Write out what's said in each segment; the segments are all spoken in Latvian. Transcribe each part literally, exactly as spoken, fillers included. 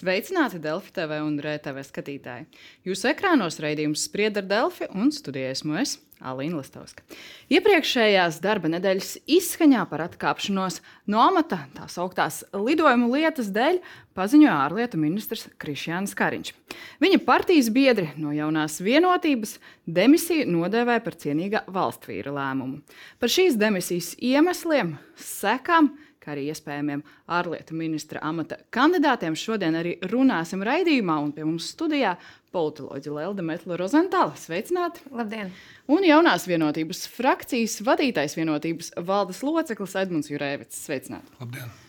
Sveicināti Delfi T V un R T V skatītāji. Jūsu ekrānos raidījums Spried ar Delfi un studijā esmu es, Alīna Listovska. Iepriekšējās darba nedēļas izskaņā par atkāpšanos no amata tā sauktās lidojumu lietas dēļ paziņoja ārlietu ministrs Krišjānis Kariņš. Viņa partijas biedri no Jaunās vienotības demisiju nodēvēja par cienīga valstvīra lēmumu. Par šīs demisijas iemesliem, sekām, kā arī iespējamiem ārlietu ministra amata kandidātiem šodien arī runāsim raidījumā, un pie mums studijā politoloģe Lelde Metla-Rozentāla. Sveicināti! Labdien! Un Jaunās vienotības frakcijas vadītājs vienotības valdes loceklis Edmunds Jurēvics. Sveicināti! Labdien!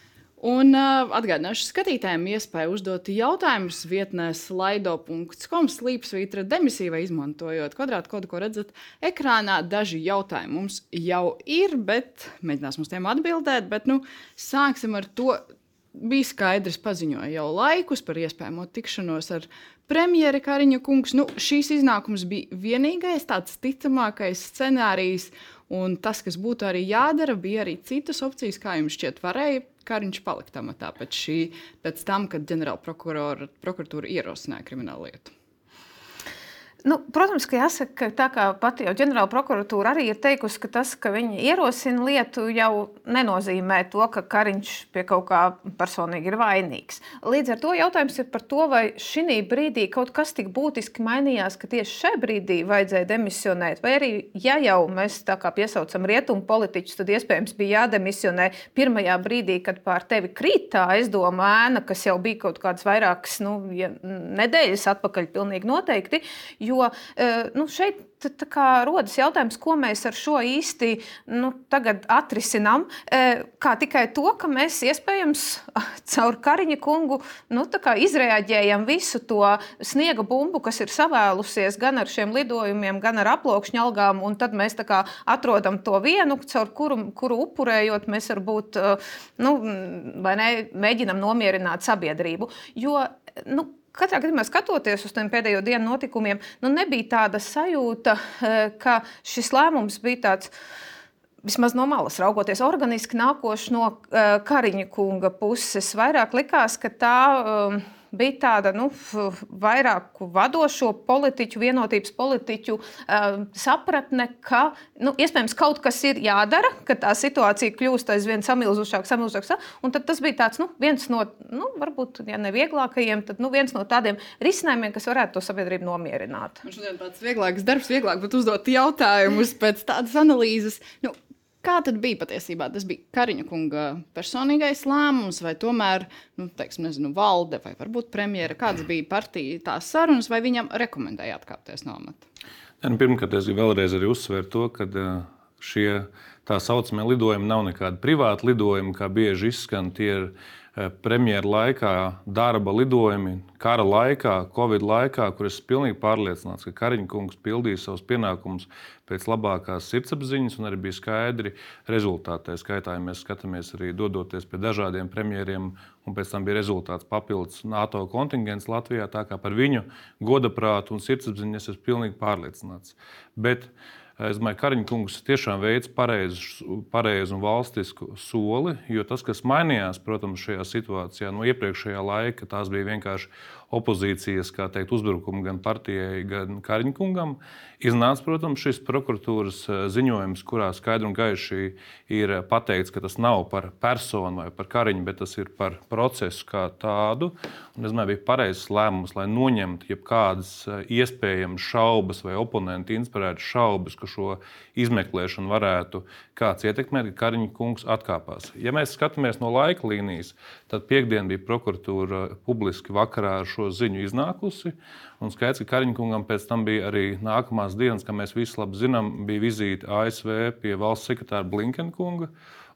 Un uh, atgādināšu skatītājiem iespēju uzdot jautājumus vietnē slido punkts com slīpsvītra demisija vai izmantojot kvadrātkodu, ko redzat ekrānā. Daži jautājumi mums jau ir, bet mēģināsim uz tiem atbildēt. Bet, nu, sāksim ar to. Bija skaidrs, paziņoja jau laikus par iespējamo tikšanos ar premjeri Kariņa kungs. Nu, šīs iznākums bija vienīgais tāds ticamākais scenārijs, un tas, kas būtu arī jādara, bija arī citas opcijas, kā jums šķiet varēja Kariņš palikt amatā pēc, šī, pēc tam, kad ģenerāla prokuratūra ierosināja kriminālu lietu. Nu, protams, ka jāsaka, ka tā kā pati jau ģenerāla prokuratūra arī ir teikusi, ka tas, ka viņi ierosina lietu, jau nenozīmē to, ka Kariņš pie kaut kā personīgi ir vainīgs. Līdz ar to jautājums ir par to, vai šī brīdī kaut kas tik būtiski mainījās, ka tieši šai brīdī vajadzēja demisionēt, vai arī, ja jau mēs tā kā piesaucam rietumu politiķus, tad iespējams bija jādemisionē pirmajā brīdī, kad pār tevi krīt tā aizdoma ēna, kas jau bija kaut kādas vairākas nu, ja, nedēļas atpakaļ pilnīgi noteikti, jo Jo nu, šeit tā kā rodas jautājums, ko mēs ar šo īsti nu, tagad atrisinām. Kā tikai to, ka mēs iespējams caur Kariņa kungu nu, tā kā izreaģējam visu to sniega bumbu, kas ir savēlusies gan ar šiem lidojumiem, gan ar aploksņa algām, un tad mēs tā kā atrodam to vienu, caur kuru, kuru upurējot mēs varbūt nu, vai ne, mēģinam nomierināt sabiedrību. Jo, nu, katrā gadījumā skatoties uz tiem pēdējo dienu notikumiem, nu nebija tāda sajūta, ka šis lēmums bija tāds, vismaz no malas raugoties, organiski nākoši no Kariņa kunga puses. Vairāk likās, ka tā um, bija tāda nu, vairāku vadošo politiķu, vienotības politiķu um, sapratne, ka nu, iespējams kaut kas ir jādara, ka tā situācija kļūst aizvien samilzušāk, samilzušāk. Un tad tas bija tāds nu, viens no, nu, varbūt, ja ne vieglākajiem, tad nu, viens no tādiem risinājumiem, kas varētu to sabiedrību nomierināt. Man šodien tāds vieglāks darbs, vieglāk būtu uzdot jautājumus pēc tādas analīzes. Nu, kā tad bija patiesībā? Tas bija Kariņa kunga personīgais lēmums, vai tomēr, nu, teiksim, nezinu, valde, vai varbūt premjera, kāds bija partija tās sarunas, vai viņam rekomendēja atkāpties no amata? Ja, nu, pirmkārt, es gribu vēlreiz arī uzsvērt to, ka šie tā saucamie lidojumi nav nekādi privāti lidojumi, kā bieži izskan. Tie ir premjera laikā darba lidojumi, kara laikā, Covid laikā, kur es pilnīgi pārliecināts, ka Kariņa kungs pildīja savus pienākumus pēc labākās sirdsapziņas un arī bija skaidri rezultāti. Tā skaitā, ja mēs skatāmies arī dodoties pie dažādiem premjeriem, un pēc tam bija rezultāts papildus NATO kontingents Latvijā, tā kā par viņu godaprātu un sirdsapziņu es esmu pilnīgi pārliecināts. Bet es domāju, ka Kariņa kungs tiešām veids pareizu, pareizu un valstisku soli, jo tas, kas mainījās, protams, šajā situācijā no iepriekšējā laika, tās bija vienkārši opozīcijas, kā teikt, uzbrukumi gan partijai, gan Kariņa kungam. Iznāca, protams, šis prokuratūras ziņojums, kurā skaidri un gaiši ir pateikts, ka tas nav par personu vai par Kariņu, bet tas ir par procesu kā tādu. Un, es domāju, bija pareizs lēmums, lai noņemtu jebkādas iespējamas šaubas vai oponenti inspirētu šaubas, ka šo izmeklēšanu varētu kāds ietekmēt, ka Kariņa kungs atkāpās. Ja mēs skatāmies no laika līnijas, tad piekdien bija prokuratūra publiski vakarā ar šo ziņu iznākusi. Un skaidrs, ka Kariņa kungam pēc tam bija arī nākamās dienas, kā mēs visi labi zinām, bija vizīte A S V pie valsts sekretāra Blinkena kunga.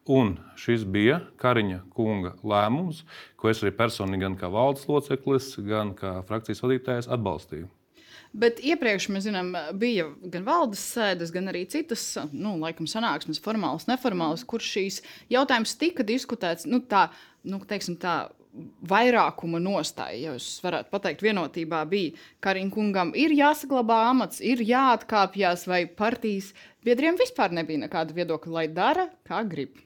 Un šis bija Kariņa kunga lēmums, ko es arī personīgi gan kā valdes loceklis, gan kā frakcijas vadītājs atbalstīju. Bet iepriekš, mēs zinām, bija gan valdes sēdes, gan arī citas, nu, laikam sanāksmes, formālas, neformālas, kur šīs jautājums tika diskutēts, nu, tā, nu, teiksim tā, vairākuma nostāja, ja jūs varētu pateikt, vienotībā bija Kariņa kungam ir jāsaglabā amats, ir jāatkāpjas, vai partijas biedriem vispār nebija nekāda viedokļa, lai dara, kā grib.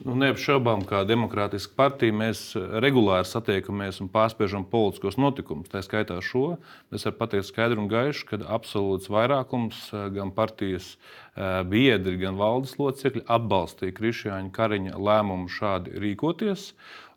Nu, neapšaubām, kā demokrātiska partija, mēs regulāri satiekamies un pārspiežam politiskos notikumus. Tā skaitā šo. Es varu pateikt skaidri un gaiši, ka absolūts vairākums gan partijas biedri, gan valdes locekļi atbalstīja Krišjāņa Kariņa lēmumu šādi rīkoties.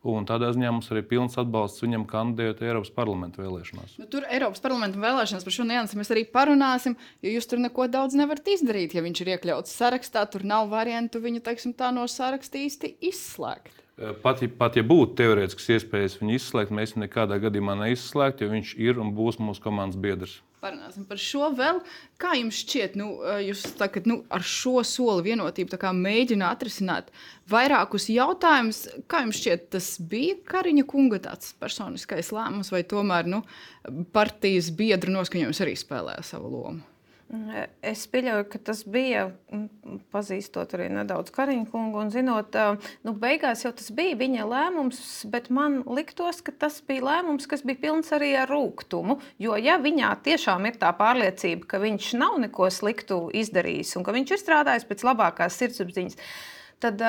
Un tādā ziņā mums arī pilns atbalsts viņam kandidēt Eiropas parlamenta vēlēšanās. Nu, tur Eiropas parlamenta vēlēšanās par šo niansi mēs arī parunāsim, jo jūs tur neko daudz nevarat izdarīt. Ja viņš ir iekļauts sarakstā, tur nav variantu viņu, teiksim, tā no saraksta īsti izslēgt. Pat, pat ja būtu teorētisks iespējas viņu izslēgt, mēs viņu nekādā gadījumā neizslēgt, jo viņš ir un būs mūsu komandas biedrs. Parunāsim par šo vēl. Kā jums šķiet, nu, jūs tagad, nu, ar šo soli vienotību tā kā mēģina atrisināt vairākus jautājumus? Kā jums šķiet, tas bija Kariņa kunga tāds personiskais lēmums, vai tomēr nu, partijas biedru noskaņojums arī spēlēja savu lomu? Es pieļauju, ka tas bija, pazīstot arī nedaudz Kariņa kungu un zinot, nu, beigās jau tas bija viņa lēmums, bet man liktos, ka tas bija lēmums, kas bija pilns arī ar rūgtumu, jo ja viņā tiešām ir tā pārliecība, ka viņš nav neko sliktu izdarījis un ka viņš ir strādājis pēc labākās sirdsapziņas, tad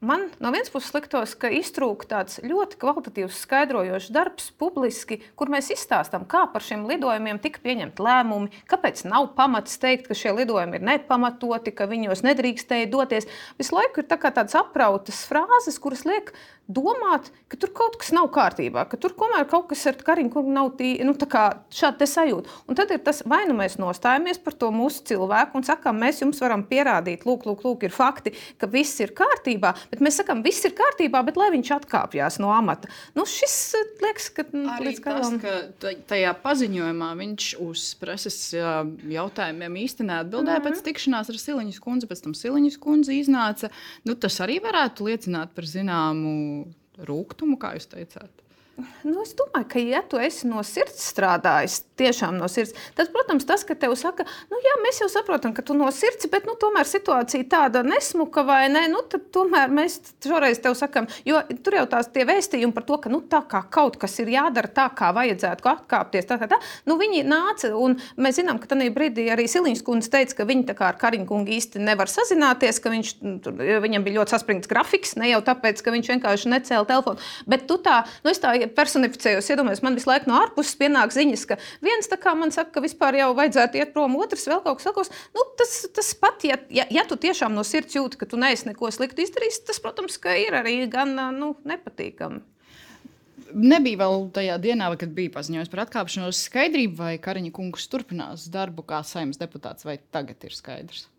man no vienas puses liktos, ka iztrūk tāds ļoti kvalitatīvs skaidrojošs darbs publiski, kur mēs izstāstam, kā par šiem lidojumiem tika pieņemti lēmumi, kāpēc nav pamats teikt, ka šie lidojumi ir nepamatoti, ka viņos nedrīkstēja doties. Visu laiku ir tā kā tādas aprautas frāzes, kuras liek domāt, ka tur kaut kas nav kārtībā, ka tur komēr kaut kas ar Kariņu kungu nav tī, nu, tā kā šādi te sajūta. Un tad ir tas, vai nu mēs nostājamies par to mūsu cilvēku un sakām, mēs jums varam pierādīt, lūk, lūk, lūk, ir fakti, ka viss ir kārtībā, bet mēs sakām, viss ir kārtībā, bet lai viņš atkāpjās no amata. Nu, šis liekas, ka arī līdz tas, ka tajā paziņojumā viņš uz preses jautājumiem īsti neatbildēja mm-hmm. pēc tikšanās ar Siliņas kundzi, pēc tam Siliņas kundze iznāca. Nu, tas arī varētu liecināt par zināmu rūgtumu, kā jūs teicāt. Nu, es domāju, ka, ja tu esi no sirds strādājis, tiešām no sirds, tad, protams, tas, ka tev saka, nu jā, mēs jau saprotam, ka tu no sirds, bet, nu, tomēr situācija tāda nesmuka vai ne, nu, tad tomēr mēs šoreiz tev sakam, jo tur jau tās tie vēstījumi par to, ka, nu, tā kā kaut kas ir jādara tā, kā vajadzētu atkāpties, tā, tā, tā, nu, viņi nāca, un mēs zinām, ka tanī brīdī arī Siliņas kundze teica, ka viņi tā kā ar Kariņu kungu īsti nevar sazināties, ka viņš, viņam bija ļoti saspringts grafiks, ne jau tāpēc, ka viņš vienkārši necēla telefonu, bet tu tā, nu, es tā personificējos, iedomājos, man visu laiku no ārpuses pienāk ziņas, ka viens tā kā man saka, ka vispār jau vajadzētu iet prom, otrs vēl kaut kas sakos. Nu, tas, tas pat, ja, ja, ja tu tiešām no sirds jūti, ka tu neesi neko sliktu izdarījis, tas, protams, ka ir arī gan, nu, nepatīkami. Nebija vēl tajā dienā, kad bija paziņojums par atkāpšanos skaidrību, vai Kariņa kungs turpinās darbu kā Saeimas deputāts, vai tagad ir skaidrs?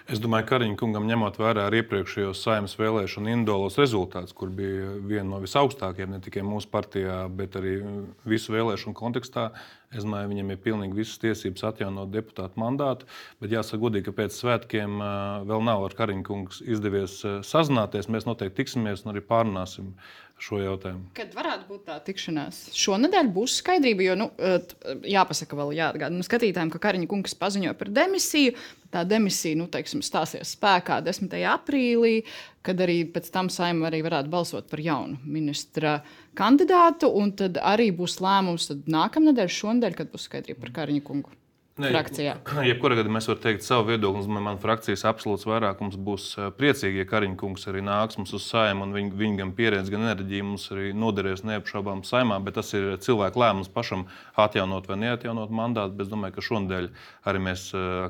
Es domāju, ka Kariņa kungam ņemot vērā ar iepriekšējos Saeimas vēlēšanu individuālos rezultātus, kur bija viena no visaugstākajiem, ne tikai mūsu partijā, bet arī visu vēlēšanu kontekstā, es domāju, viņam ir pilnīgi visas tiesības atjaunot deputātu mandātu, bet jāsaka godīgi, ka pēc svētkiem vēl nav ar Kariņa kungs izdevies sazināties, mēs noteikti tiksimies un arī pārunāsim šo jautājumu. Kad varētu būt tā tikšanās? Šonedēļ būs skaidrība, jo, nu, jāpasaka vēl jāatgādina skatītājiem, ka Kariņa kungs paziņoja par demisiju. Tā demisija, nu, teiksim, stāsies spēkā desmitajā aprīlī, kad arī pēc tam Saeima arī varētu balsot par jaunu ministra kandidātu, un tad arī būs lēmums tad nākamnedēļ, šonedēļ, kad būs skaidrība par Kariņa kungu. Ne, jebkurā gadījumā mēs varam teikt savu viedokli. Man frakcijas absolūts vairākums būs priecīgi, ja Kariņa kungs arī nāks mums uz Saeimu, un viņa, viņa gan pieredze, gan enerģija mums arī noderēs neapšaubām Saeimā, bet tas ir cilvēku lēmums pašam atjaunot vai neatjaunot mandātu. Bet es domāju, ka šonadēļ arī mēs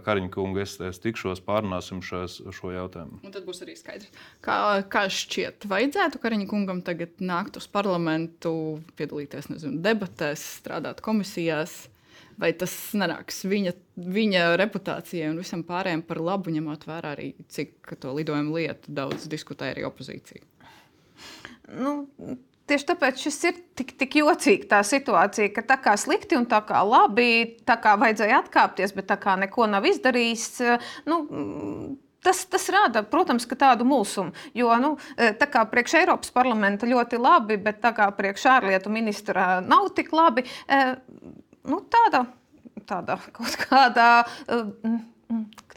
Kariņa kungu es, es tikšos, pārunāsim šos, šo jautājumu. Un tad būs arī skaidrs. Kā, kā šķiet, vajadzētu Kariņa kungam tagad nākt uz parlamentu, piedalīties, nezinu, debatēs, strādāt komisijās? Vai tas nenāks viņa, viņa reputācijai un visam pārējiem par labu, ņemot vērā arī, cik to lidojumu lietu daudz diskutē arī opozīcija? Nu, tieši tāpēc šis ir tik, tik jocīgi tā situācija, ka tā kā slikti un tā kā labi, tā kā vajadzēja atkāpties, bet tā kā neko nav izdarījis, nu, Tas, tas rāda, protams, ka tādu mulsumu, jo nu, tā kā priekš Eiropas parlamenta ļoti labi, bet tā kā priekš ārlietu ministra nav tik labi, nu, tāda, tāda kaut kādā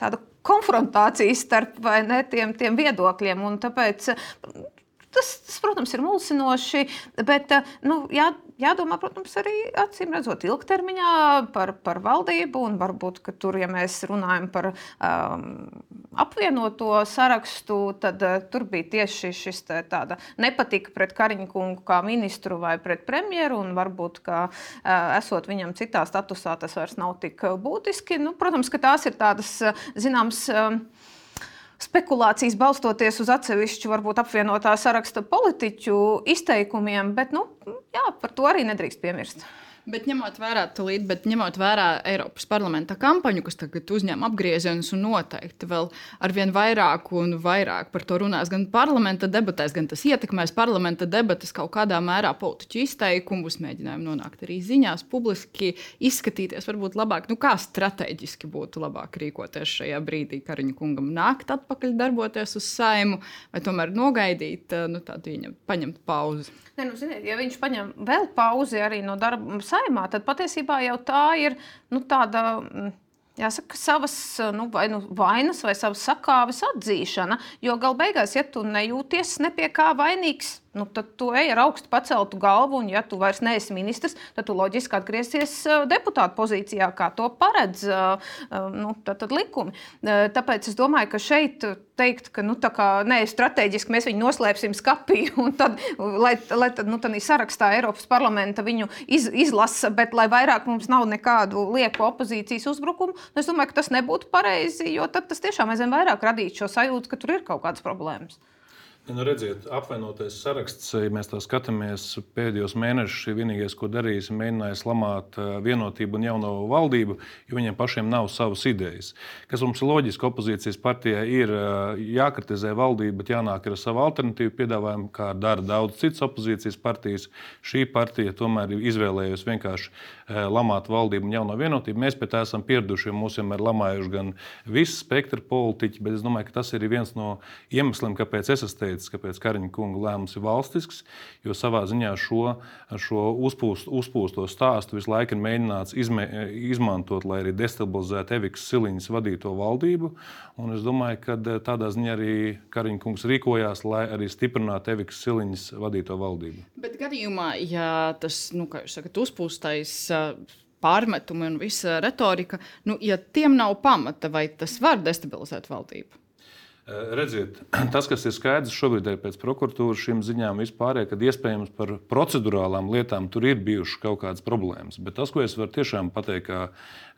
tāda konfrontācija starp vai ne, tiem, tiem viedokļiem, un tāpēc tas, tas, protams, ir mulsinoši, bet nu, jā, jādomā, protams, arī acīm redzot ilgtermiņā par, par valdību, un varbūt, ka tur, ja mēs runājam par um, apvienoto sarakstu, tad uh, tur bija tieši šis tā, tāda nepatika pret Kariņa kungu kā ministru vai pret premjeru, un varbūt, ka uh, esot viņam citā statusā, tas vairs nav tik būtiski. Nu, protams, ka tās ir tādas, zināms, um, spekulācijas balstoties uz atsevišķu, varbūt apvienotā saraksta politiķu izteikumiem, bet, nu, jā, par to arī nedrīkst piemirst. Bet ņemot vērā tulīt, bet ņemot vērā Eiropas parlamenta kampaņu, kas tagad uzņem apgriezienus un noteikti vēl arvien vairāk un vairāk par to runās gan parlamenta debatēs, gan tas ietekmēs parlamenta debates kaut kādā mērā politiķu izteikumus, mēģinājumu nonākt arī ziņās, publiski izskatīties varbūt labāk. Nu, kā strateģiski būtu labāk rīkoties šajā brīdī Kariņa kungam nākt atpakaļ darboties uz Saimu vai tomēr nogaidīt, nu, tādu ieņemt, paņemt pauzi? Ne, nu, ziniet, ja viņš paņem vēl pauzi arī no darba Saimā, tad patiesībā jau tā ir, nu, tāda, jāsaka, savas, nu, vai nu vainas vai savas sakāves atzīšana, jo gal beigās, ja tu nejūties ne pie kā vainīgs, nu, tad tu ej ar augstu paceltu galvu, un ja tu vairs neesi ministrs, tad tu loģiski atgriezies deputāta pozīcijā, kā to paredz, nu, tad, tad likumi. Tāpēc es domāju, ka šeit teikt, ka, nu, tā kā, ne, strateģiski mēs viņu noslēpsim skapī, un tad, lai, lai tad, nu, tad sarakstā Eiropas parlamenta viņu iz, izlasa, bet lai vairāk mums nav nekādu lieku opozīcijas uzbrukumu, es domāju, ka tas nebūtu pareizi, jo tad tas tiešām aizvien vairāk radītu šo sajūtu, ka tur ir kaut kādas problēmas. Nu, redziet, apvienotais saraksts, ja mēs tā skatāmies pēdējos mēnešus, vienīgais, ko darījis, mēģināja lamāt vienotību un jauno valdību, jo viņiem pašiem nav savas idejas. Kas mums ir loģiski, opozīcijas partijai ir jākritizē valdība, bet jānāk ar savu alternatīvu piedāvājumu, kā dara daudz citas opozīcijas partijas. Šī partija tomēr ir izvēlējusi vienkārši lamāt valdību un jauno vienotību. Mēs pie tā esam pieraduši, jo mūs vienmēr lamājuši gan visi spektra politiķi, bet es domāju, ka tas ir viens no iemesliem, kāpēc es esmu teicis, kāpēc Kariņa kunga lēmums ir valstisks, jo savā ziņā šo, šo uzpūst, uzpūsto stāstu visu laiku ir mēģināts izmē, izmantot, lai arī destabilizētu Evikas Siliņas vadīto valdību. Un es domāju, ka tādā ziņā arī Kariņa kungs rīkojās, lai arī stiprinātu Evikas Siliņas vadīto valdību. Bet gadījumā, ja tas, nu, kā jūs sakat, uzpūstais pārmetumi un visa retorika, nu, ja tiem nav pamata, vai tas var destabilizēt valdību? Redziet, tas, kas ir skaidrs šobrīd ir pēc prokuratūras šīm ziņām vispārēj, kad iespējams par procedurālām lietām tur ir bijušas kaut kādas problēmas. Bet tas, ko es varu tiešām pateikt, kā,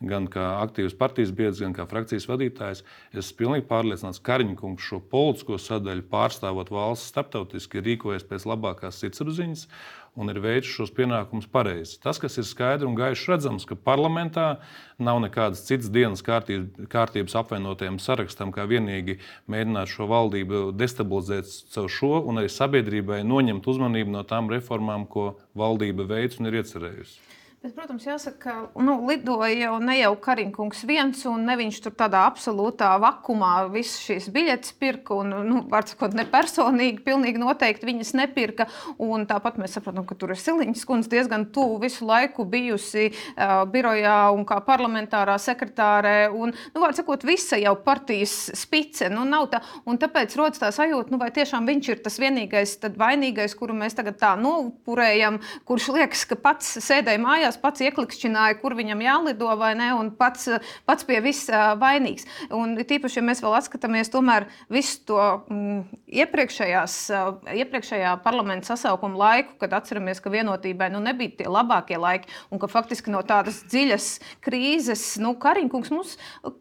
gan kā aktīvs partijas biedrs, gan kā frakcijas vadītājs, es esmu pilnīgi pārliecināts, ka Kariņa kungs šo politisko sadaļu pārstāvot valsts starptautiski rīkojas pēc labākās sirdsapziņas un ir veicis šos pienākumus pareizi. Tas, kas ir skaidri un gaiši redzams, ka parlamentā nav nekādas citas dienas kārtības, kārtības apvienotajam sarakstam, kā vienīgi mēģināt šo valdību destabilizēt caur šo un arī sabiedrībai noņemt uzmanību no tām reformām, ko valdība veic un ir iecerējusi. Bet, protams, jāsaka, ka nu, lidoja jau ne jau Kariņa kungs viens, un ne viņš tur tādā absolūtā vakumā visas šīs biļetes pirka, un, nu, var sakot, ne personīgi, pilnīgi noteikti viņas nepirka, un tāpat mēs saprotam, ka tur ir Siliņas kundze diezgan tuvu visu laiku bijusi uh, birojā un kā parlamentārā sekretārē, un, nu, var sakot, visa jau partijas spice, nu, nav tā, un tāpēc rodas tā sajūta, nu, vai tiešām viņš ir tas vienīgais tad vainīgais, kuru mēs tagad tā nopurējam, kurš liekas, ka pats sēdēja mājās, pats ieklikšķināja, kur viņam jālido vai ne, un pats, pats pie viss vainīgs. Un tīpaši, ja mēs vēl atskatāmies tomēr visu to mm, iepriekšējās, iepriekšējā parlamenta sasaukuma laiku, kad atceramies, ka vienotībai nu, nebija tie labākie laiki, un ka faktiski no tādas dziļas krīzes, nu, Kariņa kungs mums,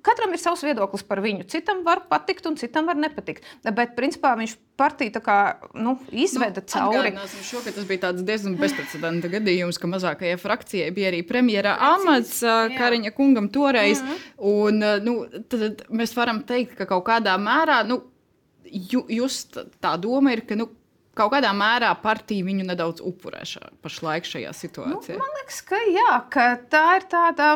katram ir savs viedoklis par viņu. Citam var patikt un citam var nepatikt. Bet, principā, viņš partiju tā kā, nu, izveda nu, cauri. Atgādināsim šo, ka tas bija tāds diezgan bezprecedenta gadījums, ka mazākajai frakcijai bija arī premjera amats Kariņa kungam toreiz. Mm-hmm. Un, nu, tad mēs varam teikt, ka kaut kādā mērā, nu, just tā doma ir, ka, nu, kaut kādā mērā partija viņu nedaudz upurē šā, pašlaik šajā situācijā. Nu, man liekas, ka jā, ka tā ir tāda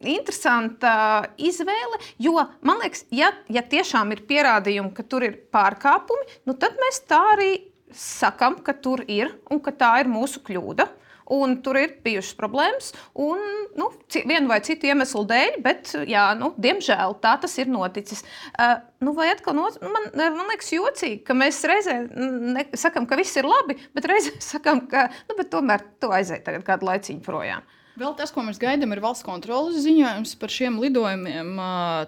interesanta izvēle, jo, man liekas, ja, ja tiešām ir pierādījumi, ka tur ir pārkāpumi, nu tad mēs tā arī sakam, ka tur ir un ka tā ir mūsu kļūda. un tur ir bijušas problēmas, un nu, vienu vai citu iemeslu dēļ, bet, jā, nu, diemžēl tā tas ir noticis. Uh, nu, vai atkal, no, man, man liekas jocīgi, ka mēs reizē ne, sakam, ka viss ir labi, bet reizē sakam, ka, nu, bet tomēr tu aizēji tagad kādu laiciņu projām. Vēl tas, ko mēs gaidām, ir valsts kontroles ziņojums par šiem lidojumiem.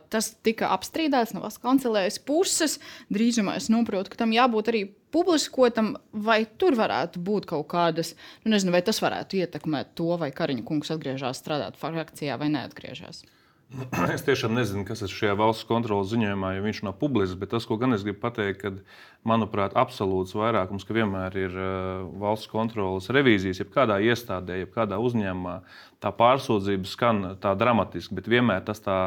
Tas tika apstrīdēts no valsts kancelējas puses. Drīzumā es saprotu, ka tam jābūt arī publiskotam, vai tur varētu būt kaut kādas, nu nezinu, vai tas varētu ietekmēt to, vai Kariņa kungs atgriežas strādāt frakcijā vai neatgriežas. Es tiešām nezinu, kas ir šajā valsts kontroles ziņojumā, jo viņš nav publisks, bet tas, ko gan es gribu pateikt, ka, manuprāt, absolūts vairākums, ka vienmēr ir valsts kontroles revīzijas, jebkādā iestādē, jebkādā uzņēmumā, tā pārsūdzība skan tā dramatiski, bet vienmēr tas tā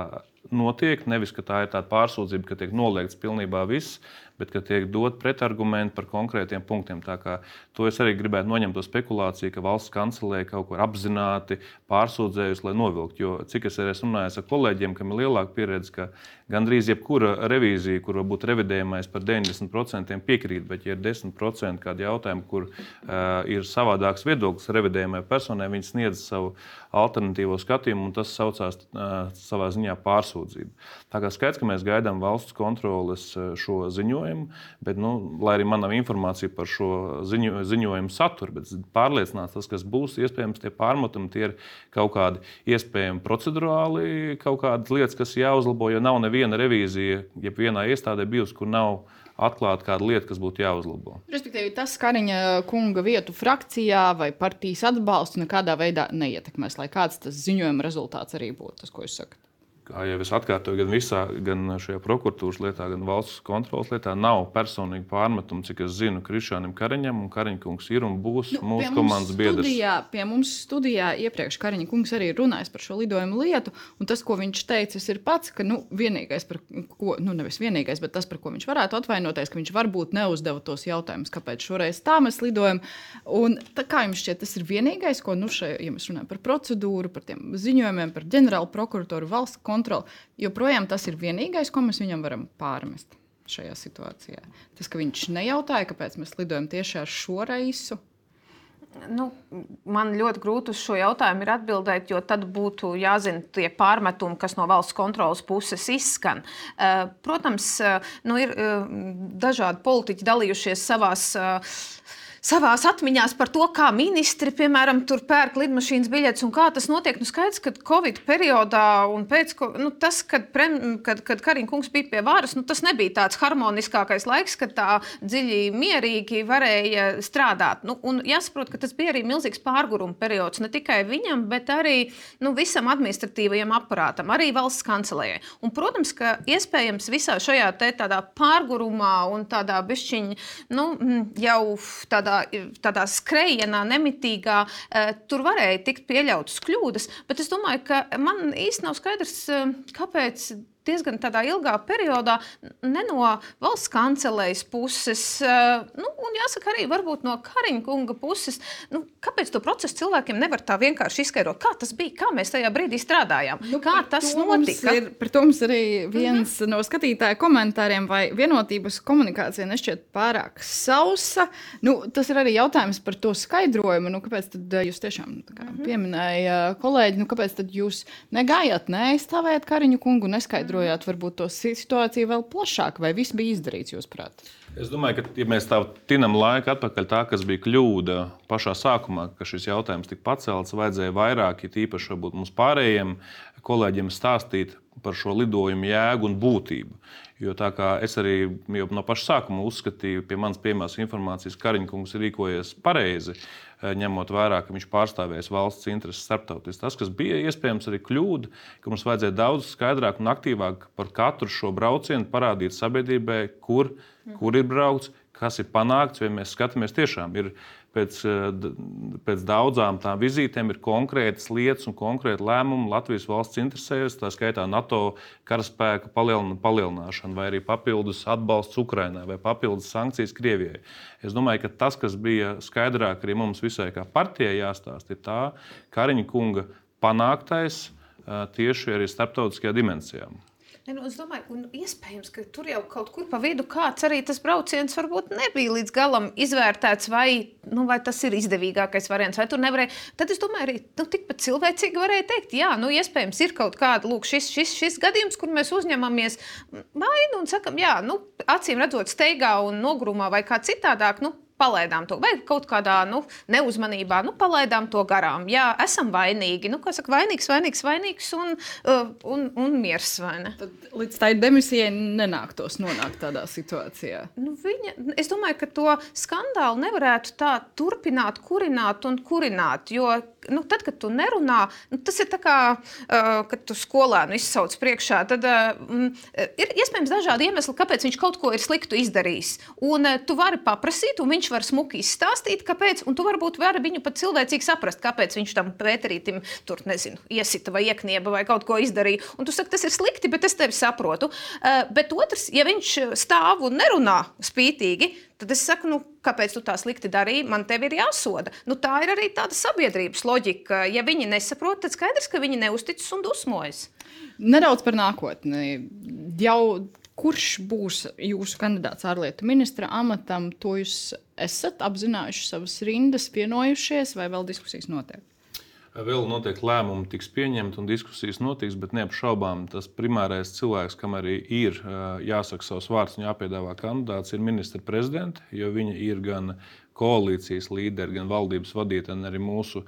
notiek, nevis, ka tā ir tāda pārsūdzība, ka tiek noliegts pilnībā viss, bet ka tiek dot pretargumenti par konkrētiem punktiem. Tā kā to es arī gribētu noņemt to spekulāciju, ka valsts kancelēja kaut ko apzināti pārsūdzējusi, lai novilkt. Jo cik es arī esmu runājis ar kolēģiem, kam ir lielāka pieredze, ka gandrīz jebkura revīzija, kur varbūt revidējamais par deviņdesmit procentiem piekrīt, bet ja ir desmit procenti kādi jautājumi, kur uh, ir savādāks viedoklis revidējamai personai, viņi sniedz savu alternatīvo skatījumu, un tas saucās uh, savā ziņā pārsūdzību. Tā kā skaidrs, ka mēs gaidām valsts kontroles šo ziņojumu, bet, nu, lai arī man nav informācija par šo ziņo, ziņojumu saturu, bet pārliecināts tas, kas būs, iespējams, tie pārmetumi, tie ir kaut kādi iespējami procedurāli, kaut kādas lietas, kas jāuzlabo, jo nav neviena revīzija, jeb vienā iestādē bijusi, kur nav atklāta kāda lieta, kas būtu jāuzlabo. Respektīvi, tas Kariņa kunga vietu frakcijā vai partijas atbalstu nekādā veidā neietekmēs, lai kāds tas ziņojuma rezultāts arī būtu, tas, ko jūs sakat. Kā jau es atkārtoju, gan visā, gan šajā prokuratūras lietā, gan valsts kontrolas lietā nav personīgi pārmetumi, cik es zinu, Krišānam Kariņam, un Kariņa kungs ir un būs nu, mūsu komandas biedrs. Studijā, pie mums studijā iepriekš Kariņa kungs arī runājis par šo lidojumu lietu, un tas, ko viņš teicis, ir pats, ka nu, vienīgais, par ko, nu nevis vienīgais, bet tas, par ko viņš varētu atvainoties, ka viņš varbūt neuzdeva tos jautājumus, kāpēc šoreiz tā mēs lidojam. Un tā, kā jums šķiet, tas ir vienīgais, ko, nu, šai, ja mēs runājam par procedūru, par tiem ziņojumiem, par ģenerālu prokuratoru, valsts kontroli, joprojām tas ir vienīgais, ko mēs viņam varam pārmest šajā situācijā. Tas, ka viņš nejautāja, kāpēc mēs lidojam tieši ar šo reisu. Nu, man ļoti grūti uz šo jautājumu ir atbildēt, jo tad būtu jāzina tie pārmetumi, kas no valsts kontrolas puses izskan. Protams, nu, ir dažādi politiķi dalījušies savās savās atmiņās par to, kā ministri, piemēram, tur pērk lidmašīnas biļetes un kā tas notiek. Nu, skaidrs, ka Covid periodā un pēc, nu, tas, kad, prem, kad, kad Kariņa kungs bija pie varas, nu, tas nebija tāds harmoniskākais laiks, kad tā dziļi mierīgi varēja strādāt. Nu, un jāsaprot, ka tas bija arī milzīgs pārguruma periods, ne tikai viņam, bet arī nu, visam administratīvajam aparātam, arī valsts kancelējai. Un, protams, ka iespējams visā šajā te tādā pārgurumā un tādā bišķiņ, nu, jau tādā tādā skrejienā, nemitīgā, tur varēja tikt pieļautas kļūdas, bet es domāju, ka man īsti nav skaidrs, kāpēc diezgan tādā ilgā periodā ne no valsts kancelējas puses, nu, un jāsaka arī varbūt no Kariņa kunga puses, nu, kāpēc to procesu cilvēkiem nevar tā vienkārši izskaidrot? Kā tas bija? Kā mēs tajā brīdī strādājām? Nu, kā tas notika? Ir, par to mums arī viens mm-hmm. no skatītāju komentāriem, vai vienotības komunikācija nešķiet pārāk sausa. Nu, tas ir arī jautājums par to skaidrojumu. Nu, kāpēc tad jūs tiešām kā, mm-hmm. pieminēja kolēģi, nu, kāpēc tad jūs negājāt, neaizstāvējāt Kariņu kungu, neskaidrojāt varbūt to situāciju vēl plašāk, vai viss bija izdarīts, jūs prāt? Es domāju, ka ja mēs tā tinam laiku atpakaļ tā, kas bija kļūda pašā sākumā, ka šis jautājums tika pacelts, vajadzēja vairāk, ja tīpaši varbūt mums pārējiem kolēģiem stāstīt par šo lidojumu jēgu un būtību. Jo tā kā es arī jau no paša sākuma uzskatīju, pie manas pieejamās informācijas, Kariņa kungs ir rīkojies pareizi, ņemot vērā, ka viņš pārstāvēs valsts intereses starptautiski. Tas, kas bija iespējams arī kļūda, ka mums vajadzēja daudz skaidrāk un aktīvāk par katru šo braucienu parādīt sabiedrībai, kur, kur ir braukts, kas ir panākts, vai mēs skatāmies tiešām. Ir pēc, pēc daudzām tām vizītēm ir konkrētas lietas un konkrēti lēmumi Latvijas valsts interesēs, tā skaitā NATO karaspēka palielināšana vai arī papildus atbalsts Ukrainai vai papildus sankcijas Krievijai. Es domāju, ka tas, kas bija skaidrāk arī mums visai kā partijai jāstāst, ir tā Kariņa kunga panāktais tieši arī starptautiskajā dimensijā. Ne, nu, es domāju, un iespējams, ka tur jau kaut kur pa vidu kāds arī tas brauciens varbūt nebija līdz galam izvērtēts, vai, nu, vai tas ir izdevīgākais variants, vai tur nevarēja. Tad es domāju, arī nu, tikpat cilvēcīgi varēja teikt, jā, nu, iespējams ir kaut kāda, lūk, šis, šis, šis gadījums, kur mēs uzņemamies vainu un sakam, jā, nu, acīm redzot steigā un nogrumā vai kā citādāk, nu, palaidām to, vai kaut kādā nu, neuzmanībā, nu, palaidām to garām. Jā, esam vainīgi. Nu, kā saka, vainīgs, vainīgs, vainīgs un, uh, un, un miers, vai ne? Tad līdz tai demisijai nenāktos nonākt tādā situācijā. Nu, viņa, es domāju, ka to skandālu nevarētu tā turpināt, kurināt un kurināt, jo nu, tad, kad tu nerunā, nu, tas ir tā kā, uh, kad tu skolēnu izsauc priekšā, tad uh, ir iespējams dažādi iemesli, kāpēc viņš kaut ko ir sliktu izdarījis. Un uh, tu vari paprasīt, un viņš var smuki izstāstīt, kāpēc, un tu varbūt vari viņu pat cilvēcīgi saprast, kāpēc viņš tam Pēterītim tur, nezinu, iesita vai ieknieba vai kaut ko izdarīja. Un tu saki, tas ir slikti, bet es tevi saprotu. Uh, bet otrs, ja viņš stāv un nerunā spītīgi, tad es saku, nu, kāpēc tu tā slikti darīji, man tevi ir jāsoda. Nu, tā ir arī tāda sabiedrības loģika. Ja viņi nesaprot, tad skaidrs, ka viņi neuzticas un dusmojas. Nedaudz par nākotni. Jau kurš būs jūsu kandidāts ārlietu ministra amatam, to jūs esat apzinājuši savas rindas, vienojušies, vai vēl diskusijas notiek? Vēl noteikti lēmumi tiks pieņemti un diskusijas notiks, bet neapšaubām tas primārais cilvēks, kam arī ir jāsaka savs vārds un jāpiedāvā kandidāts, ir ministra prezidenta, jo viņa ir gan koalīcijas līderi, gan valdības vadītāji, gan arī mūsu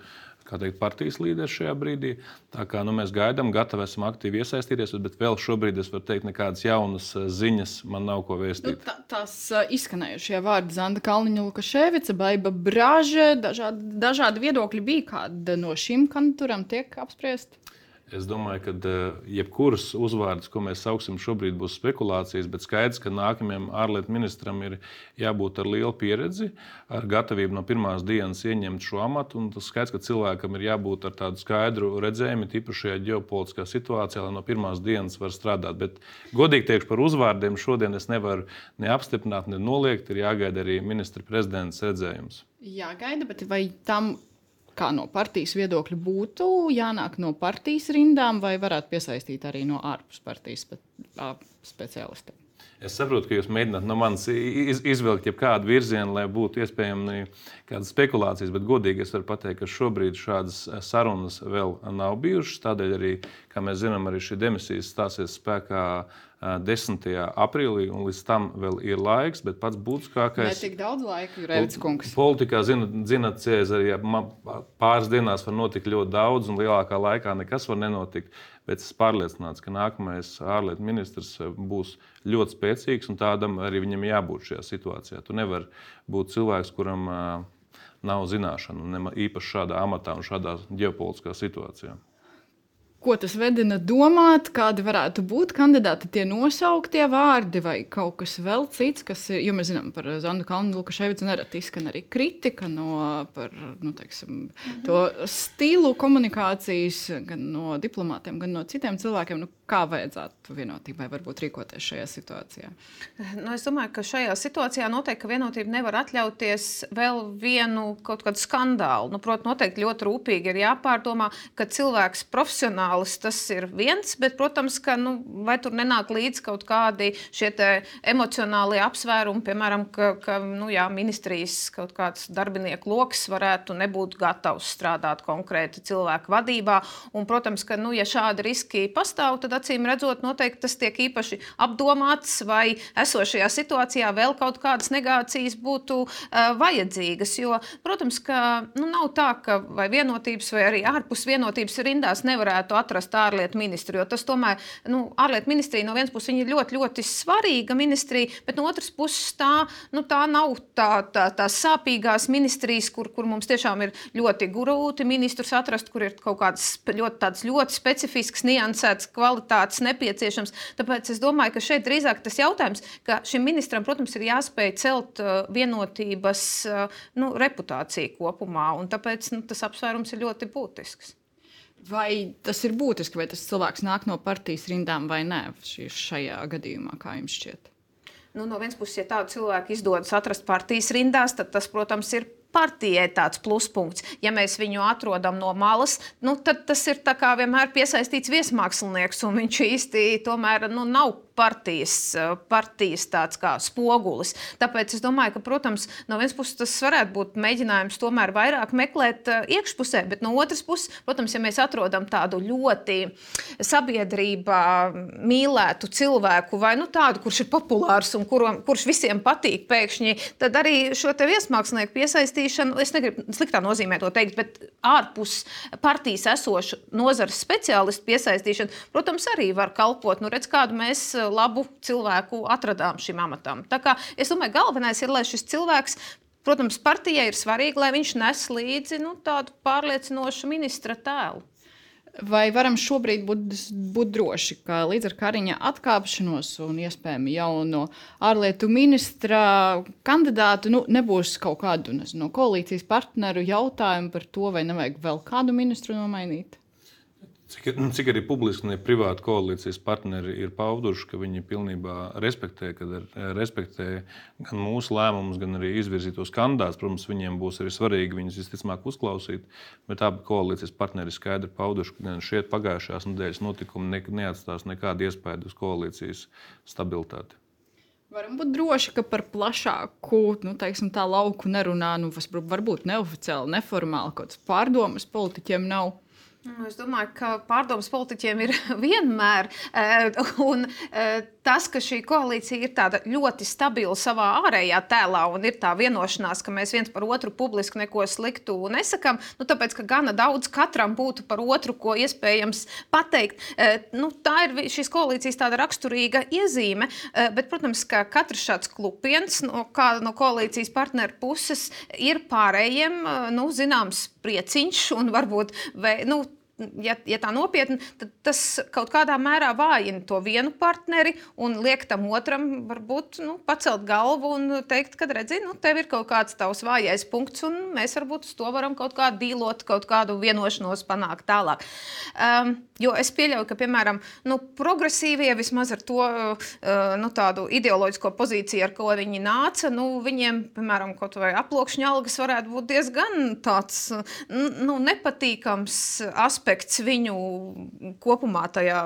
kā teikt, partijas līderis šajā brīdī. Tā kā nu, mēs gaidām, gatavi esam aktīvi iesaistīties, bet vēl šobrīd es varu teikt, nekādas jaunas ziņas man nav ko vēstīt. Nu, tā, tās izskanējušie vārdi Zanda Kalniņa, Lukaševica, Baiba Braže, dažādi, dažādi viedokļi bija, kāda no šīm kandidatūrām tiek apspriest? Es domāju, ka jebkuras uzvārds, ko mēs sauksim šobrīd, būs spekulācijas, bet skaidrs, ka nākamajam ārlietu ministram ir jābūt ar lielu pieredzi, ar gatavību no pirmās dienas ieņemt šo amatu. Un tas skaidrs, ka cilvēkam ir jābūt ar tādu skaidru redzējumu, tīpaši šajā ģeopolitiskā situācijā, lai no pirmās dienas var strādāt. Bet godīgi teikšu par uzvārdiem, šodien es nevaru ne apstiprināt, ne noliegt, ir jāgaida arī ministra prezidents redzējums. Jāgaida, bet vai tam kā no partijas viedokļa būtu jānāk no partijas rindām, vai varētu piesaistīt arī no ārpus partijas speciālistiem? Es saprotu, ka jūs mēģināt no manis izvilkt jebkādu virzienu, lai būtu iespējami kādas spekulācijas, bet godīgi es varu pateikt, ka šobrīd šādas sarunas vēl nav bijušas. Tādēļ arī, kā mēs zinām, arī šī demisijas stāsies spēkā desmitajā aprīlī, un līdz tam vēl ir laiks, bet pats būtiskākais... Ne tik daudz laika, Jurēvics kungs. Politikā, zināt, Cēzari, pāris dienās var notikt ļoti daudz, un lielākā laikā nekas var nenotikt, bet es pārliecināts, ka nākamais ārlietu ministrs būs ļoti spēcīgs, un tādam arī viņam jābūt šajā situācijā. Tu nevar būt cilvēks, kuram nav zināšanu, īpaši šādā amatā un šādā ģeopolitiskā situācijā. Ko tas vedina domāt, kādi varētu būt kandidāti, tie nosauktie vārdi vai kaut kas vēl cits, kas ir, jo mēs zinām par Zandu Kalniņu, Lukaševicu nereti izskan arī kritika no, par, nu, teiksim, mm-hmm. to stilu komunikācijas gan no diplomātiem, gan no citiem cilvēkiem. Nu, kā vajadzētu vienotībai varbūt rīkoties šajā situācijā? Nu, es domāju, ka šajā situācijā noteikti, ka vienotība nevar atļauties vēl vienu kaut kādu skandālu. Nu, protams, noteikti ļoti rūpīgi ir jāpārdomā, ka cilvēks profesionālis tas ir viens, bet, protams, ka nu, vai tur nenāk līdz kaut kādi šie te emocionālie apsvērumi, piemēram, ka, ka nu, jā, ministrijas kaut kāds darbinieku loks varētu nebūt gatavs strādāt konkrēti cilvēku vadībā. Un, protams, ka, nu, ja šādi riski pastāv, tad acīm redzot, noteikti tas tiek īpaši apdomāts, vai esošajā situācijā vēl kaut kādas negācijas būtu uh, vajadzīgas. Jo, protams, ka nu, nav tā, ka vai vienotības, vai arī ārpus vienotības rindās nevarētu atrast ārlietu ministru, jo tas tomēr, nu, ārlietu ministrija no vienas puses viņa ir ļoti, ļoti svarīga ministrija, bet no otras puses tā, nu, tā nav tā, tā, tā sāpīgās ministrijas, kur, kur mums tiešām ir ļoti grūti ministrus atrast, kur ir kaut kāds ļoti, tāds ļoti specifisks, niansēts kvalitātes nepieciešams. Tāpēc es domāju, ka šeit drīzāk tas jautājums, ka šim ministram, protams, ir jāspēj celt uh, vienotības uh, nu, reputāciju kopumā, un tāpēc nu, tas apsvērums ir ļoti būtisks. Vai tas ir būtiski, vai tas cilvēks nāk no partijas rindām vai nē šajā gadījumā, kā jums šķiet? Nu, no vienas puses, ja tādu cilvēku izdodas atrast partijas rindās, tad tas, protams, ir partijai tāds pluspunkts. Ja mēs viņu atrodam no malas, nu, tad tas ir tā kā vienmēr piesaistīts viesmākslinieks, un viņš īsti tomēr nu, nav partijas, partijas tāds kā spogulis. Tāpēc es domāju, ka, protams, no vienas puses tas varētu būt mēģinājums tomēr vairāk meklēt iekšpusē, bet no otras puses, protams, ja mēs atrodam tādu ļoti sabiedrībā mīlētu cilvēku vai nu, tādu, kurš ir populārs un kur, kurš visiem patīk pēkšņi, tad arī šo te viesmākslinieku piesaistīšanu, es negribu sliktā nozīmē to teikt, bet ārpus partijas esošu nozares speciālistu piesaistīšanu, protams, arī var kalpot. Nu, redz, kādu mēs labu cilvēku atradām šim amatam. Tā kā es domāju, galvenais ir, lai šis cilvēks, protams, partijai ir svarīgi, lai viņš nes līdzi nu, tādu pārliecinošu ministra tēlu. Vai varam šobrīd būt, būt droši, ka līdz ar Kariņa atkāpšanos un iespējami jauno ārlietu ministra kandidātu nu, nebūs kaut kādu nezinu, koalīcijas partneru jautājumu par to, vai nevajag vēl kādu ministru nomainīt? Cik, cik arī publiski un privāti koalīcijas partneri ir pauduši, ka viņi pilnībā respektē, kad respektē gan mūsu lēmumus, gan arī izvirzītos kandidātus. Protams, viņiem būs arī svarīgi viņus visticamāk uzklausīt, bet abi koalīcijas partneri skaidri pauduši, ka šie pagājušās nedēļas notikumi ne, neatstās nekādu iespēju uz koalīcijas stabilitāti. Varam būt droši, ka par plašāku nu, teiksim, tā lauku nerunā, nu, varbūt neoficiāli, neformāli, kaut kāds pārdomas politiķiem nav. Es domāju, ka pārdomas politiķiem ir vienmēr. Un tas, ka šī koalīcija ir tāda ļoti stabila savā ārējā tēlā un ir tā vienošanās, ka mēs viens par otru publiski neko sliktu nesakām, nu, tāpēc, ka gana daudz katram būtu par otru, ko iespējams pateikt. Nu, tā ir šīs koalīcijas tāda raksturīga iezīme, bet, protams, ka katrs šāds klupiens no kāda no koalīcijas partneru puses ir pārējiem, nu, zināms, prieciņš un varbūt, vai, nu, Ja, ja tā nopietni, tad tas kaut kādā mērā vājina to vienu partneri un liek tam otram varbūt nu, pacelt galvu un teikt, ka redzi, nu, tev ir kaut kāds tavs vājais punkts un mēs varbūt uz to varam kaut kādu dīlot, kaut kādu vienošanos panākt tālāk. Um, jo es pieļauju, ka, piemēram, nu, progresīvie vismaz ar to uh, nu, tādu ideoloģisko pozīciju, ar ko viņi nāca, nu, viņiem, piemēram, kaut vai aploksņa algas varētu būt diezgan tāds nu, nepatīkams aspekts viņu kopumā tajā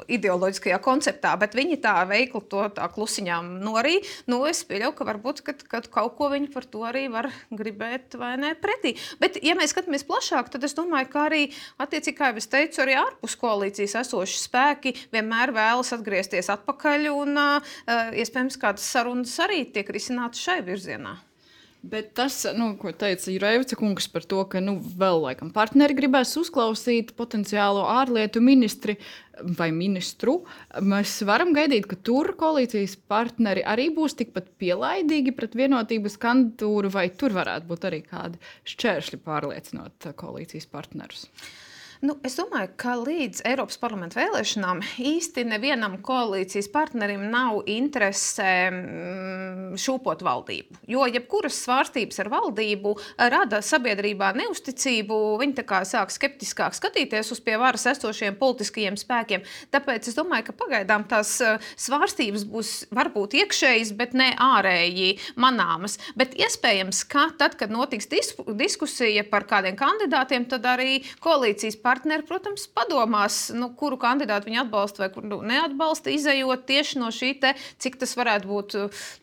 ideoloģiskajā konceptā, bet viņi tā veikli to tā klusiņām norī. Nu, es pieļauju, ka varbūt, kad, kad kaut ko viņi par to arī var gribēt vai ne pretī. Bet, ja mēs skatāmies plašāk, tad es domāju, ka arī, attiecīgi, kā jau es teicu, arī ārpus koalīcijas esoši spēki vienmēr vēlas atgriezties atpakaļ un, uh, iespējams, kādas sarunas arī tiek risinātas šai virzienā. Bet tas, nu, ko teica Jurēvica kungs par to, ka nu, vēl laikam partneri gribēs uzklausīt potenciālo ārlietu ministri vai ministru, mēs varam gaidīt, ka tur koalīcijas partneri arī būs tikpat pielaidīgi pret vienotības kandidatūru, vai tur varētu būt arī kādi šķēršļi pārliecinot koalīcijas partnerus? Nu, es domāju, ka līdz Eiropas parlamenta vēlēšanām īsti nevienam koalīcijas partnerim nav interese šūpot valdību. Jo jebkuras svārstības ar valdību rada sabiedrībā neusticību, viņi tā kā sāk skeptiskāk skatīties uz pie varas esošiem politiskajiem spēkiem. Tāpēc es domāju, ka pagaidām tās svārstības būs varbūt iekšējas, bet ne ārēji manāmas. Bet iespējams, ka tad, kad notiks diskusija par kādiem kandidātiem, tad arī koalīcijas partneri Partneri, protams, padomās, nu, kuru kandidātu viņi atbalsta vai kuru neatbalsta, izejot tieši no šī te, cik tas varētu būt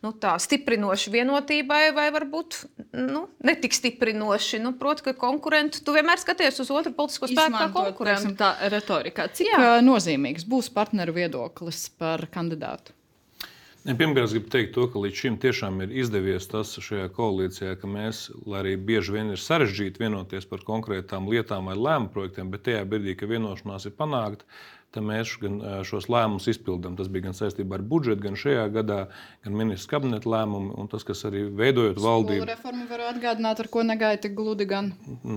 nu, tā, stiprinoši vienotībai vai varbūt nu, netik stiprinoši. Nu, proti, ka konkurentu, tu vienmēr skaties uz otru politisko spēku kā konkurentu. Tā retorikā. Cik Jā. nozīmīgs būs partneru viedoklis par kandidātu? Pirmkārt, es gribu teikt to, ka līdz šim tiešām ir izdevies tas šajā koalīcijā, ka mēs, lai arī bieži vien ir sarežģīti vienoties par konkrētām lietām vai lēmumu projektiem, bet tajā brīdī, ka vienošanās ir panākta, tad mēs gan šos lēmumus izpildām. Tas bija gan saistībā ar budžetu, gan šajā gadā, gan ministrs kabineta lēmumi, un tas, kas arī veidojot valdību. Skolu reformu varu atgādināt, ar ko negaida tik gludi gan.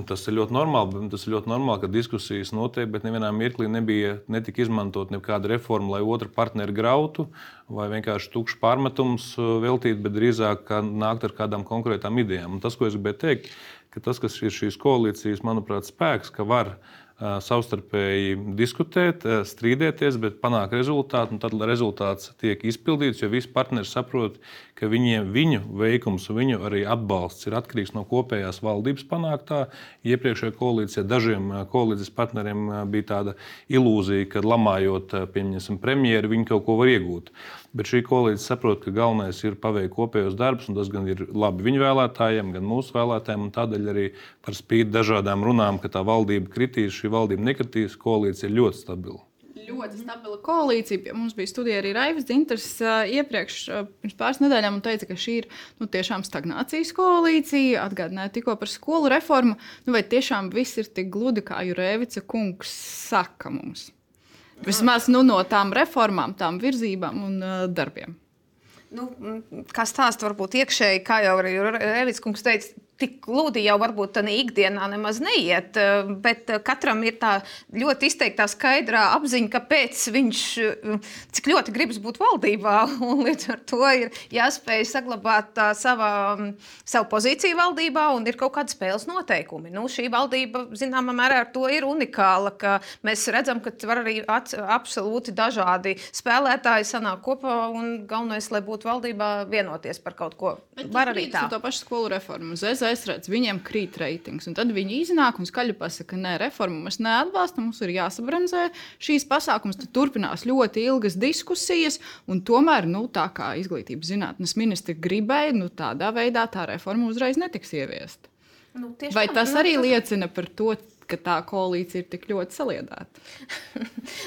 Tas ir ļoti normāli, tas ir ļoti normāli, ka diskusijas notiek, bet nevienā mirklī nebija netika izmantot nekāda reforma, lai otru partneri grautu, vai vienkārši tukšs pārmetums veltīt, bet drīzāk nākt ar kādām konkrētām idejām. Un tas, ko es gribēju teikt, ka tas, kas ir šīs koalīcijas, manuprāt, spēks, ka var savstarpēji diskutēt, strīdēties, bet panākt rezultātu, un tad rezultāts tiek izpildīts, jo visi partneri saprot, ka viņiem, viņu veikums un viņu arī atbalsts ir atkarīgs no kopējās valdības panāktā. Iepriekšējā koalīcijā dažiem koalīcijas partneriem bija tāda ilūzija, ka lamājot, pieņemsim, premjeru, viņi kaut ko var iegūt. Bet šī koalīcija saprot, ka galvenais ir paveikt kopējos darbus, un tas gan ir labi viņu vēlētājiem, gan mūsu vēlētājiem, un tādēļ arī par spīti dažādām runām, ka tā valdība kritīs, šī valdība nekritīs, koalīcija ir ļoti stabila. Ļoti stabila koalīcija. Mums bija studija arī Raivis Dzintars iepriekš, pirms pāris nedēļām, un teica, ka šī ir nu, tiešām stagnācijas koalīcija. Atgādināja tikko par skolu reformu. Nu, vai tiešām viss ir tik gludi, kā Jurēvica kungs saka mums? Vismaz nu, no tām reformām, tām virzībām un uh, darbiem. Nu, kā stāsta varbūt iekšēji, kā jau arī Rēvics kungs teica, tik gludi jau varbūt tādā ikdienā nemaz neiet, bet katram ir tā ļoti izteiktā skaidrā apziņa, kāpēc viņš cik ļoti gribas būt valdībā, un līdz ar to ir jāspēj saglabāt tā savā, savu pozīciju valdībā, un ir kaut kādi spēles noteikumi. Nu, šī valdība, zināmā mērā, ar to ir unikāla, ka mēs redzam, ka var arī at, absolūti dažādi spēlētāji sanāk kopā, un galvenais, lai būtu valdībā vienoties par kaut ko. Bet var arī tā. To pašu skolu reformu. Es redzu, viņiem krīt reitings, un tad viņi iznāk un skaļi pasaka, nē, reformu mēs neatbalstam, mums ir jāsabremzē šīs pasākums, tad turpinās ļoti ilgas diskusijas, un tomēr, nu, tā kā izglītības zinātnes ministri gribēja, nu, tādā veidā tā reforma uzreiz netiks ieviesta. Nu, Vai tas nu, arī tas... liecina par to, ka tā koalīcija ir tik ļoti saliedēta?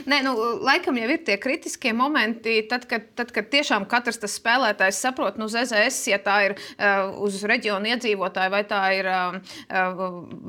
Nē, nu, laikam jau ir tie kritiskie momenti, tad, kad, tad, kad tiešām katrs tas spēlētājs saprot, nu, Z Z S, ja tā ir uh, uz reģionu iedzīvotāju, vai tā ir uh,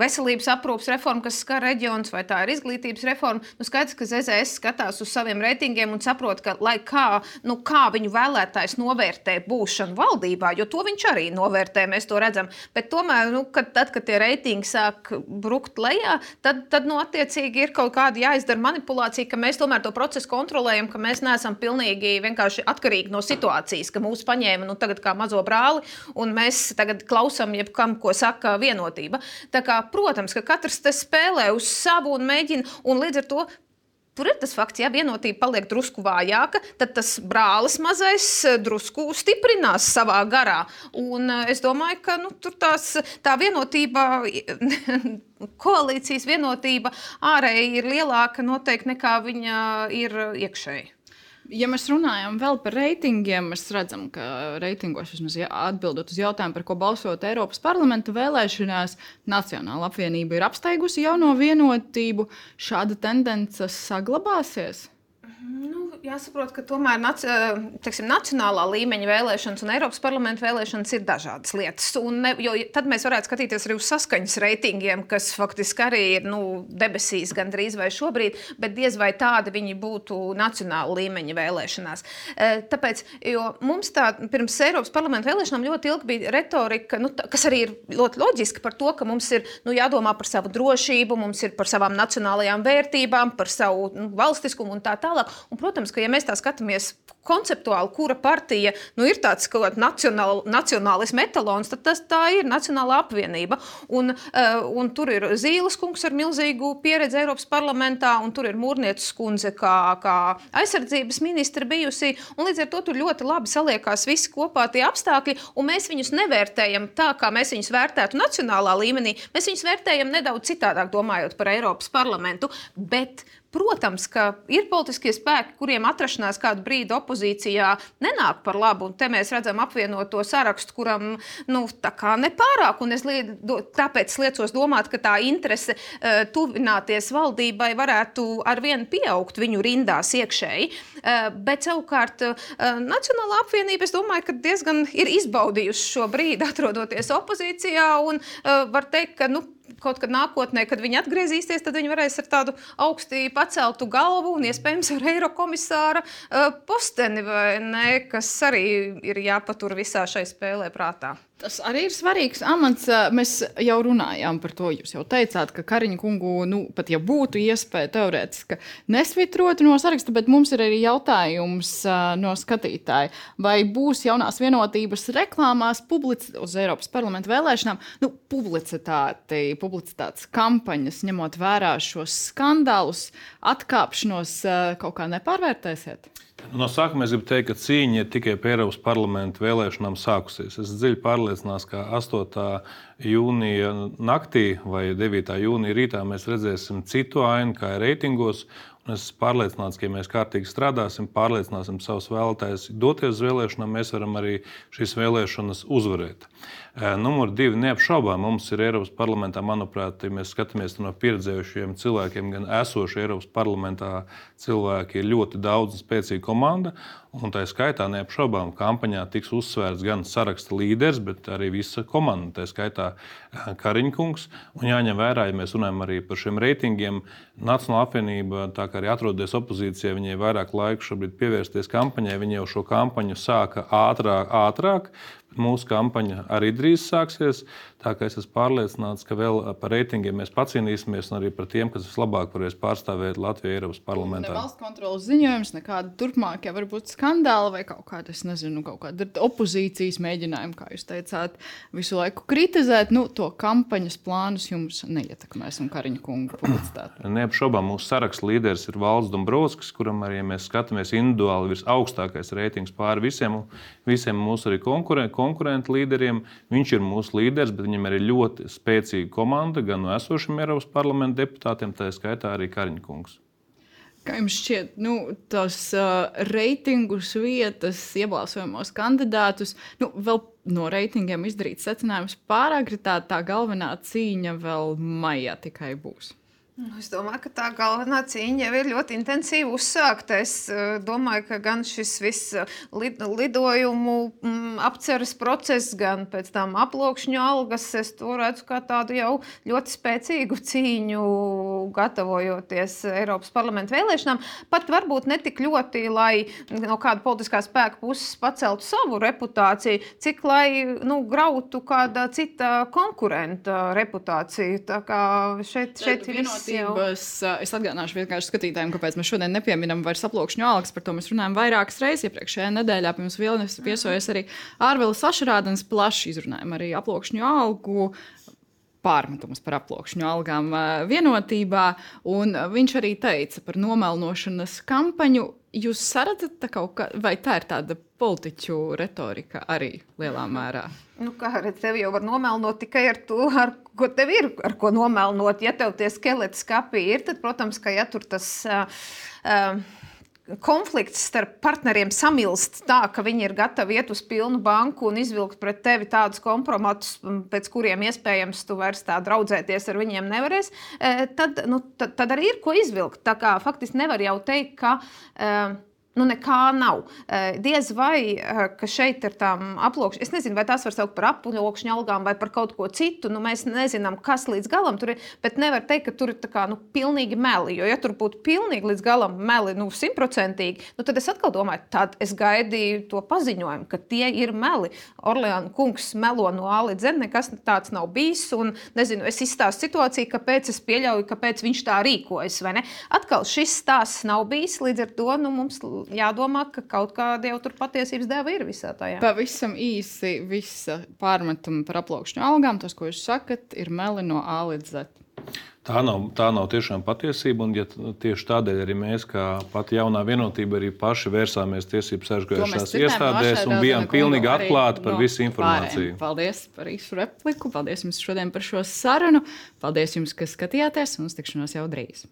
veselības aprūpas reforma, kas skar reģionus, vai tā ir izglītības reforma, nu, skaidrs, ka Z Z S skatās uz saviem reitingiem un saprot, ka, lai kā, nu, kā viņu vēlētājs novērtē būšanu valdībā, jo to viņš arī novērtē, mēs to redzam, bet tomēr, nu, kad, tad, kad tie reitingi sāk brukt lejā, Tad, tad nu, attiecīgi ir kaut kāda jāizdara manipulācija, ka mēs tomēr to procesu kontrolējam, ka mēs neesam pilnīgi vienkārši atkarīgi no situācijas, ka mūs paņēma nu, tagad kā mazo brāli, un mēs tagad klausām jebkam, ko saka vienotība. Tā kā, protams, ka katrs te spēlē uz savu un mēģina, un līdz ar to tur ir tas fakts, ja vienotība paliek drusku vājāka, tad tas brālis mazais drusku stiprinās savā garā. Un es domāju, ka nu, tur tās, tā vienotība, koalīcijas vienotība ārēji ir lielāka noteikti nekā viņa ir iekšēji. Ja mēs runājam vēl par reitingiem, mēs redzam, ka reitingos, vismaz atbildot uz jautājumu, par ko balsot Eiropas parlamenta vēlēšanās, Nacionāla apvienība ir apsteigusi jauno vienotību. Šāda tendence saglabāsies? Nu, jāsaprot, ka tomēr nac, teiksim, nacionālā līmeņa vēlēšanas un Eiropas parlamenta vēlēšanas ir dažādas lietas. Un ne, jo tad mēs varētu skatīties arī uz saskaņas reitingiem, kas faktiski arī ir nu, debesīs gandrīz vai šobrīd, bet diez vai tādi viņi būtu nacionāla līmeņa vēlēšanās. Tāpēc, jo mums tā pirms Eiropas parlamenta vēlēšanām ļoti ilgi bija retorika, nu, tā, kas arī ir ļoti loģiski par to, ka mums ir nu, jādomā par savu drošību, mums ir par savām nacionālajām vērtībām, par savu nu, valstiskumu un tā tālāk. Un, protams, ka ja mēs tā skatāmies konceptuāli, kura partija nu, ir tāds kaut kāds nacionāl, nacionālisma etalons, tad tas, tā ir Nacionālā apvienība. Un, uh, un tur ir Zīles kungs ar milzīgu pieredzi Eiropas parlamentā, un tur ir Mūrnieces kundze kā, kā aizsardzības ministra bijusi. Un līdz ar to tur ļoti labi saliekās visi kopā tie apstākļi, un mēs viņus nevērtējam tā, kā mēs viņus vērtētu nacionālā līmenī. Mēs viņus vērtējam nedaudz citādāk, domājot par Eiropas parlamentu, bet protams, ka ir politiskie spēki, kuriem atrašanās kādu brīdi opozīcijā nenāk par labu, un te mēs redzam apvienoto sarakstu, kuram nu, tā kā nepārāk, un es lied, tāpēc liecos domāt, ka tā interese uh, tuvināties valdībai varētu arvien pieaugt viņu rindās iekšēji, uh, bet savukārt uh, Nacionālā apvienība, es domāju, ka diezgan ir izbaudījusi šo brīdi, atrodoties opozīcijā, un uh, var teikt, ka nu, kaut kad nākotnē, kad viņi atgriezīsies, tad viņi varēs ar tādu augstī paceltu galvu un iespējams ar eirokomisāra uh, posteni, vai ne, kas arī ir jāpatur visā šai spēlē prātā. Tas arī ir svarīgs amats. Mēs jau runājām par to. Jūs jau teicāt, ka Kariņa kungu, nu, pat ja būtu iespēja teorētiski nesvitrot no saraksta, bet mums ir arī jautājums no skatītāja. Vai būs jaunās vienotības reklāmās publici- uz Eiropas parlamenta vēlēšanām nu, publicitāti, publicitātes kampaņas, ņemot vērā šos skandālus, atkāpšanos kaut kā nepārvērtēsiet? No sākuma es gribu teikt, ka cīņa ir tikai pie Eiropas parlamenta vēlēšanām sākusies. Es dziļi pārliecināts, ka astotā jūnija naktī vai devītā jūnija rītā mēs redzēsim citu ainu kā reitingos. Un es esmu pārliecināts, ka, ja mēs kārtīgi strādāsim, pārliecināsim savus vēlētājus doties uz vēlēšanām, mēs varam arī šīs vēlēšanas uzvarēt. Numur divi, neapšaubām, mums ir Eiropas parlamentā, manuprāt, ja mēs skatāmies no pieredzējušiem cilvēkiem, gan esoši Eiropas parlamentā cilvēki ir ļoti daudz un spēcīga komanda. Un tā skaitā neapšaubām kampaņā tiks uzsvērts gan saraksta līderis, bet arī visa komanda, tā skaitā Kariņa kungs. Un jāņem vērā, ja mēs runājam arī par šiem reitingiem, Nacionālā apvienība, tā kā arī atrodas opozīcijā, viņai vairāk laika šobrīd pievērsties kampaņai, viņi jau šo kampaņu sāka ātrāk, ātrāk. Mūsu kampaņa arī drīz sāksies. Tā kā es esmu pārliecināts, ka vēl par reitingiem mēs pacīnīsimies un arī par tiem, kas vislabāk varēs pārstāvēt Latviju Eiropas parlamentā. Ne valsts kontrolas ziņojums, nekāda turpmākie varbūt skandāli vai kaut kāda, es nezinu, kaut kāda opozīcijas mēģinājuma, kā jūs teicāt, visu laiku kritizēt. Nu, to kampaņas plānus jums neietekmēs un Kariņa kunga publicitāti. Neapšaubām mūsu saraksta līderis ir Valdis Dombrovskis, kuram arī, ja mēs skatāmies individuāli, ir augstākais reitings pāri visiem, visiem mūsu arī konkurenti. konkurentu līderiem. Viņš ir mūsu līderis, bet viņam ir ļoti spēcīga komanda gan no esošiem Eiropas parlamenta deputātiem, tā skaitā arī Kariņa kungs. Kā jums šķiet, nu, tos uh, reitingus vietas, iebalsojamos kandidātus, nu, vēl no reitingiem izdarīt secinājums pārāk, tā, tā galvenā cīņa vēl maijā tikai būs? Es domāju, ka tā galvenā cīņa jau ir ļoti intensīvi uzsākta. Es uh, domāju, ka gan šis viss lid, lidojumu mm, apceres process, gan pēc tam aploksņu algas, es to redzu kā tādu jau ļoti spēcīgu cīņu, gatavojoties Eiropas parlamenta vēlēšanām. Pat varbūt ne tik ļoti, lai no kāda politiskā spēka puses paceltu savu reputāciju, cik lai nu, grautu kāda cita konkurenta reputāciju. Tā kā šeit, šeit ir viss. Es, es atgādināšu vienkārši skatītājiem, kāpēc mēs šodien nepieminam vairs aploksņu algas. Par to mēs runājam vairākas reizes. Iepriekšējā nedēļā pie mums Vilnis viesojas arī Ārvelis Ašarādens, plaši izrunājam arī aploksņu algu pārmetumus par aploksņu algām vienotībā. Un viņš arī teica par nomelnošanas kampaņu. Jūs saredzat tā kaut kā, vai tā ir tāda politiķu retorika arī lielā mērā? Nu, kā redz, tev jau var nomelnot tikai ar to, ar ko tev ir, ar ko nomelnot. Ja tev tie skeleti skapī ir, tad, protams, ka ja tur tas uh, uh, konflikts starp partneriem samilst tā, ka viņi ir gatavi iet uz pilnu banku un izvilkt pret tevi tādus kompromatus, pēc kuriem iespējams tu vairs tā draudzēties ar viņiem nevarēs, uh, tad, nu, tad, tad arī ir ko izvilkt. Tā kā faktiski nevar jau teikt, ka uh, nu nekā nav. Diez vai, ka šeit ir tām aploksņu, es nezinu, vai tās var saukt par aploksņu algām vai par kaut ko citu, nu mēs nezinām, kas līdz galam tur ir, bet nevar teikt, ka tur ir tā kā, nu, pilnīgi meli, jo ja tur būtu pilnīgi līdz galam meli, nu, simtprocentīgi, nu, tad es atkal domāju, tad es gaidīju to paziņojumu, ka tie ir meli. Orleāna kungs melo no A līdz Z, nekas tāds nav bijis, un, nezinu, es izstāstu situāciju, kāpēc es pieļauju, kāpēc viņš tā rīkojas, vai ne? Atkal šis stāsts nav bijis, līdz ar to, nu, mums jādomā, ka kaut kāda jau tur patiesības deva ir visā tajā. Pavisam īsi visa pārmetuma par aploksņu algām, tas, ko jūs sakat, ir meli no A līdz Z. Tā nav, tā nav tiešām patiesība, un ja tieši tādēļ arī mēs, kā pati jaunā vienotība, arī paši vērsāmies tiesību sargājošās iestādēs un bijām pilnīgi atklāti par no visu informāciju. Pārējiem. Paldies par īsu repliku, paldies jums šodien par šo sarunu, paldies jums, ka skatījāties, un uz tikšanos jau drīz.